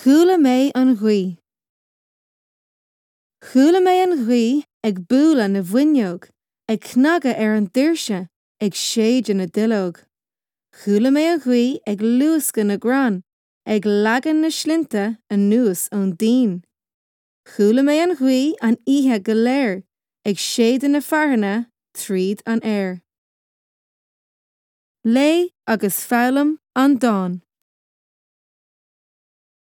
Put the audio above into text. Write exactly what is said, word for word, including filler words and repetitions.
Chuala mé an ghaoth. Chuala mé an ghaoth ag bualadh na bhfuinneog, ag cnagadh ar an doirse, ag séideadh na nduilleog. Chuala mé an ghaoth ag luascadh na gcrann, ag leagan na slinnte anuas ón díon. Chuala mé an ghaoth an oíche go léir, ag séideadh na fearthainne tríd an aer. Léigh agus foghlaim an dán.